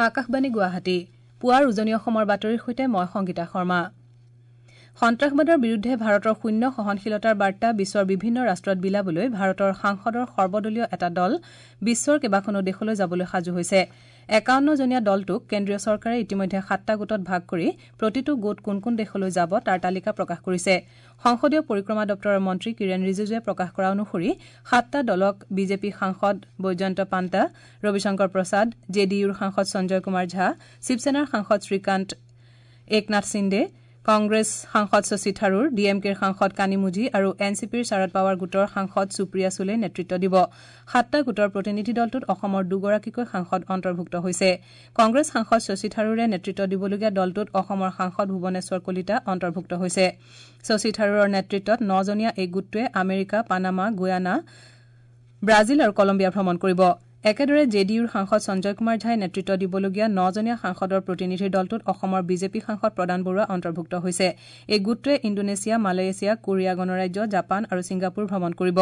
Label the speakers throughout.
Speaker 1: আকাশবাণী গুৱাহাটী পুৱাৰ উজনি অসমৰ বাতৰিৰ সৈতে মই সংগীতা শৰ্মা। সন্ত্ৰাসবাদৰ বিৰুদ্ধে ভাৰতৰ শূন্য সহনশীলতাৰ বাৰ্তা বিশ্বৰ বিভিন্ন ৰাষ্ট্ৰত বিলাবলৈ ভাৰতৰ সাংসদৰ সৰ্বদলীয় এটা দল বিশ্বৰ কেইবাখনো দেশলৈ যাবলৈ সাজু হৈছে। ৫১জনীয়া দলটোক কেন্দ্ৰীয় চৰকাৰে ইতিমধ্যে ৭টা গোটত ভাগ কৰি প্ৰতিটো গোট কোন কোন দেশলৈ যাব তাৰ তালিকা প্ৰকাশ কৰিছে। সংসদীয় পৰিক্ৰমা দপ্তৰৰ মন্ত্ৰী কিৰেণ ৰিজিজুৱে প্ৰকাশ কৰা অনুসৰি ৭টা দলক বিজেপি সাংসদ বৈজয়ন্ত পাণ্টা, ৰবিশংকৰ প্ৰসাদ, জে ডি ইউৰ সাংসদ সঞ্জয় কুমাৰ ঝা, শিৱসেনাৰ সাংসদ শ্ৰীকান্ত একনাথ সিন্দে, কংগ্ৰেছ সাংসদ শশী থাৰুৰ, ডি এম কেৰ সাংসদ কানিমুঝি আৰু এন চি পিৰ শাৰদ পাৱাৰ গোটৰ সাংসদ সুপ্ৰিয়া চুলে নেতৃত্ব দিব। ৭টা গোটৰ প্ৰতিনিধি দলটোত অসমৰ দুগৰাকীকৈ সাংসদ অন্তৰ্ভুক্ত হৈছে। কংগ্ৰেছ সাংসদ শশী থাৰুৰে নেতৃত্ব দিবলগীয়া দলটোত অসমৰ সাংসদ ভুৱনেশ্বৰ কলিতা অন্তৰ্ভুক্ত হৈছে। শশী থাৰুৰৰ নেতৃত্বত ৯জনীয়া এই গোটটোৱে আমেৰিকা, পানামা, গুয়ানা, ব্ৰাজিল আৰু কলম্বিয়া ভ্ৰমণ কৰিব। একেদৰে জে ডি ইউৰ সাংসদ সঞ্জয় কুমাৰ ঝাই নেতৃত্ব দিবলগীয়া ৯জনীয়া সাংসদৰ প্ৰতিনিধিৰ দলটোত অসমৰ বিজেপি সাংসদ প্ৰদান বৰুৱা অন্তৰ্ভুক্ত হৈছে। এই গোটটোৱে ইণ্ডোনেছিয়া, মালয়েছিয়া, কোৰিয়া গণৰাজ্য, জাপান আৰু ছিংগাপুৰ ভ্ৰমণ কৰিব।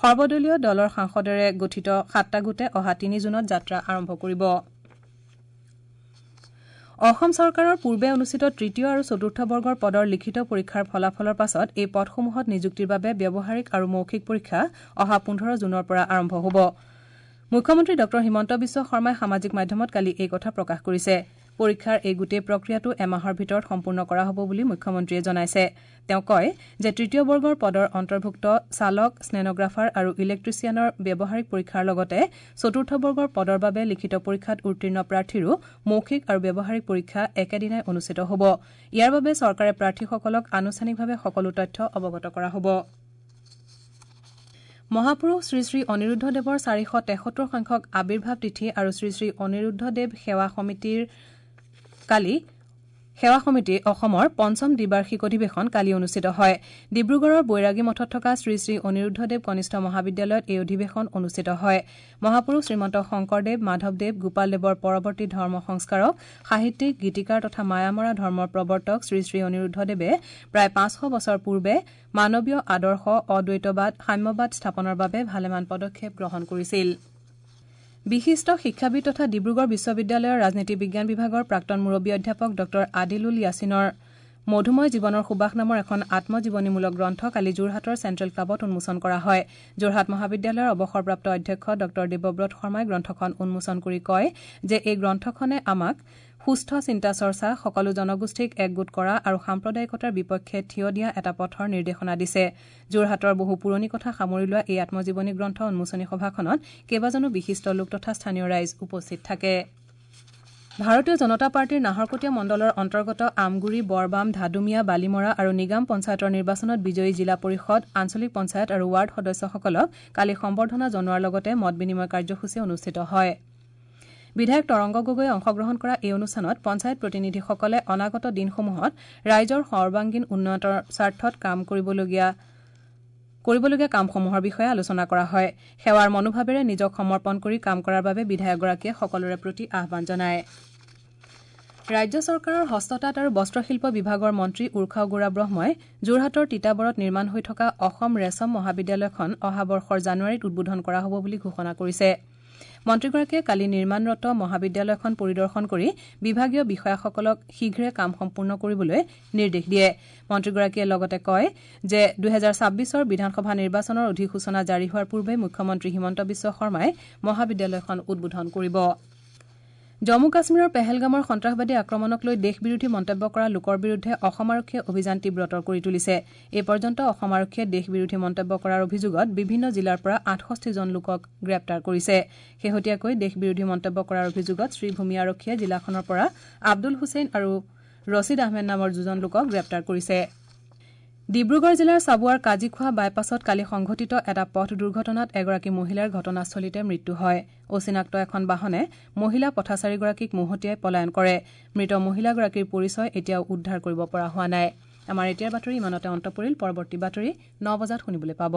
Speaker 1: সৰ্বদলীয় দলৰ সাংসদেৰে গঠিত ৭টা গোটে অহা ৩ জুনত যাত্ৰা আৰম্ভ কৰিব। অসম চৰকাৰৰ পূৰ্বে অনুষ্ঠিত তৃতীয় আৰু চতুৰ্থ বৰ্গৰ পদৰ লিখিত পৰীক্ষাৰ ফলাফলৰ পাছত এই পদসমূহত নিযুক্তিৰ বাবে ব্যৱহাৰিক আৰু মৌখিক পৰীক্ষা অহা ১৫ জুনৰ পৰা আৰম্ভ হ'ব। মুখ্যমন্ত্ৰী ডঃ হিমন্ত বিশ্ব শৰ্মাই সামাজিক মাধ্যমত কালি এই কথা প্ৰকাশ কৰিছে। পৰীক্ষাৰ এই গোটেই প্ৰক্ৰিয়াটো এমাহৰ ভিতৰত সম্পূৰ্ণ কৰা হ'ব বুলি মুখ্যমন্ত্ৰীয়ে জনাইছে। তেওঁ কয় যে তৃতীয় বৰ্গৰ পদৰ অন্তৰ্ভুক্ত চালক, ষ্টেনগ্ৰাফাৰ আৰু ইলেক্ট্ৰিচিয়ানৰ ব্যৱহাৰিক পৰীক্ষাৰ লগতে চতুৰ্থ বৰ্গৰ পদৰ বাবে লিখিত পৰীক্ষাত উত্তীৰ্ণ প্ৰাৰ্থীৰো মৌখিক আৰু ব্যৱহাৰিক পৰীক্ষা একেদিনাই অনুষ্ঠিত হ'ব। ইয়াৰ বাবে চৰকাৰে প্ৰাৰ্থীসকলক আনুষ্ঠানিকভাৱে সকলো তথ্য অৱগত কৰা হ'ব। মহাপুৰুষ শ্ৰীশ্ৰী অনিৰুদ্ধ দেৱৰ ৪৭৩ সংখ্যক আৱিৰ্ভাৱ তিথি আৰু শ্ৰীশ্ৰী অনিৰুদ্ধ দেৱ সেৱা সমিতি অসমৰ পঞ্চম দ্বিবাৰ্ষিক অধিৱেশন কালি অনুষ্ঠিত হয়। ডিব্ৰুগড়ৰ বৈৰাগী মঠত থকা শ্ৰীশ্ৰী অনিৰুদ্ধ দেৱ কনিষ্ঠ মহাবিদ্যালয়ত এই অধিৱেশন অনুষ্ঠিত হয়। মহাপুৰুষ শ্ৰীমন্ত শংকৰদেৱ, মাধৱদেৱ, গোপালদেৱৰ পৰৱৰ্তী ধৰ্ম সংস্কাৰক, সাহিত্যিক, গীতিকাৰ তথা মায়ামৰা ধৰ্মৰ প্ৰৱৰ্তক শ্ৰীশ্ৰী অনিৰুদ্ধদেৱে প্ৰায় ৫০০ বছৰ পূৰ্বে মানৱীয় আদৰ্শ, অদ্বৈতবাদ, সাম্যবাদ স্থাপনৰ বাবে ভালেমান পদক্ষেপ গ্ৰহণ কৰিছিল। বিশিষ্ট শিক্ষাবিদ তথা ডিব্ৰুগড় বিশ্ববিদ্যালয়ৰ ৰাজনীতি বিজ্ঞান বিভাগৰ প্ৰাক্তন মুৰব্বী অধ্যাপক ডঃ আদিলুল য়াছিনৰ মধুময় জীৱনৰ সুবাস নামৰ এখন আত্মজীৱনীমূলক গ্ৰন্থ কালি যোৰহাটৰ চেণ্ট্ৰেল ক্লাবত উন্মোচন কৰা হয়। যোৰহাট মহাবিদ্যালয়ৰ অৱসৰপ্ৰাপ্ত অধ্যক্ষ ডঃ দেৱব্ৰত শৰ্মাই গ্ৰন্থখন উন্মোচন কৰি কয় যে এই গ্ৰন্থখনে আমাক সুস্থ চিন্তা চৰ্চা, সকলো জনগোষ্ঠীক একগোট কৰা আৰু সাম্প্ৰদায়িকতাৰ বিপক্ষে থিয় দিয়া এটা পথৰ নিৰ্দেশনা দিছে। যোৰহাটৰ বহু পুৰণি কথা সামৰি লোৱা এই আত্মজীৱনী গ্ৰন্থ উন্মোচনী সভাখনত কেইবাজনো বিশিষ্ট লোক তথা স্থানীয় ৰাইজ উপস্থিত থাকে। ভাৰতীয় জনতা পাৰ্টীৰ নাহৰকটীয়া মণ্ডলৰ অন্তৰ্গত আমগুৰি, বৰবাম, ধাদুমীয়া, বালিমৰা আৰু নিগাম পঞ্চায়তৰ নিৰ্বাচনত বিজয়ী জিলা পৰিষদ, আঞ্চলিক পঞ্চায়ত আৰু ৱাৰ্ড সদস্যসকলক কালি সম্বৰ্ধনা জনোৱাৰ লগতে মত বিনিময় কাৰ্যসূচী অনুষ্ঠিত হয়। বিধায়ক তৰংগ গগৈয়ে অংশগ্ৰহণ কৰা এই অনুষ্ঠানত পঞ্চায়ত প্ৰতিনিধিসকলে অনাগত দিনসমূহত ৰাইজৰ সৰ্বাংগীন উন্নয়নৰ স্বাৰ্থত কাম কৰিবলগীয়া কামসমূহৰ বিষয়ে আলোচনা কৰা হয়। সেৱাৰ মনোভাৱেৰে নিজক সমৰ্পণ কৰি কাম কৰাৰ বাবে বিধায়কগৰাকীয়ে সকলোৰে প্ৰতি আহ্বান জনায়। ৰাজ্য চৰকাৰৰ হস্ততাঁত আৰু বস্ত্ৰশিল্প বিভাগৰ মন্ত্ৰী উৰ্খাও গৌৰা ব্ৰহ্মই যোৰহাটৰ তিতাবৰত নিৰ্মাণ হৈ থকা অসম ৰেচম মহাবিদ্যালয়খন অহা বৰ্ষৰ জানুৱাৰীত উদ্বোধন কৰা হ'ব বুলি ঘোষণা কৰিছে। মন্ত্ৰীগৰাকীয়ে কালি নিৰ্মাণৰত মহাবিদ্যালয়খন পৰিদৰ্শন কৰি বিভাগীয় বিষয়াসকলক শীঘ্ৰে কাম সম্পূৰ্ণ কৰিবলৈ নিৰ্দেশ দিয়ে। মন্ত্ৰীগৰাকীয়ে লগতে কয় যে ২০২৬ৰ বিধানসভা নিৰ্বাচনৰ অধিসূচনা জাৰি হোৱাৰ পূৰ্বে মুখ্যমন্ত্ৰী হিমন্ত বিশ্ব শৰ্মাই মহাবিদ্যালয়খন উদ্বোধন কৰিব। জম্মু কাশ্মীৰৰ পেহেলগামৰ সন্ত্ৰাসবাদী আক্ৰমণক লৈ দেশ বিৰোধী মন্তব্য কৰা লোকৰ বিৰুদ্ধে অসম আৰক্ষীয়ে অভিযান তীব্ৰতৰ কৰি তুলিছে। এই পৰ্যন্ত অসম আৰক্ষীয়ে দেশ বিৰোধী মন্তব্য কৰাৰ অভিযোগত বিভিন্ন জিলাৰ পৰা ৬৮ জন লোকক গ্ৰেপ্তাৰ কৰিছে। শেহতীয়াকৈ দেশ বিৰোধী মন্তব্য কৰাৰ অভিযোগত শ্ৰীভূমি আৰক্ষীয়ে জিলাখনৰ পৰা আব্দুল হুছেইন আৰু ৰছিদ আহমেদ নামৰ দুজন লোকক গ্ৰেপ্তাৰ কৰিছে। ডিব্ৰুগড় জিলাৰ চাবুৱাৰ কাজিখোৱা বাইপাছত কালি সংঘটিত এটা পথ দুৰ্ঘটনাত এগৰাকী মহিলাৰ ঘটনাস্থলীতে মৃত্যু হয়। অচিনাক্ত এখন বাহনে মহিলা পথাচাৰীগৰাকীক মহতিয়াই পলায়ন কৰে। মৃত মহিলাগৰাকীৰ পৰিচয় এতিয়াও উদ্ধাৰ কৰিব পৰা হোৱা নাই। আমাৰ এতিয়াৰ বাতৰি ইমানতে অন্ত পৰিল। পৰৱৰ্তী বাতৰি ৯ বজাত শুনিবলৈ পাব।